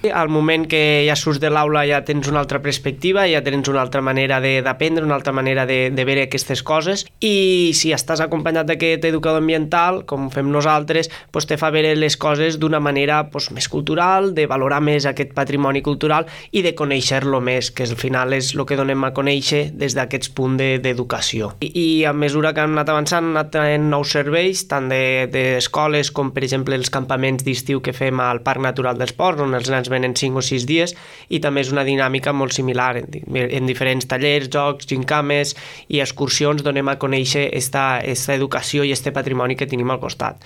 Al moment que ja surts de l'aula ja tens una altra perspectiva, ja tens una altra manera d'aprendre, una altra manera de veure aquestes coses, i si estàs acompanyat d'aquest educador ambiental, com fem nosaltres, te fa veure les coses d'una manera més cultural, de valorar més aquest patrimoni cultural i de conèixer-lo més, que al final és el que donem a conèixer des d'aquests punts d'educació. I a mesura que hem anat avançant, hem anat tenint nous serveis, tant d'escoles com, per exemple, els campaments d'estiu que fem al Parc Natural dels Ports, on els nens venen 5 o 6 dies, i també és una dinàmica molt similar. En diferents tallers, jocs, gincames i excursions donem a conèixer aquesta educació i aquest patrimoni que tenim al costat.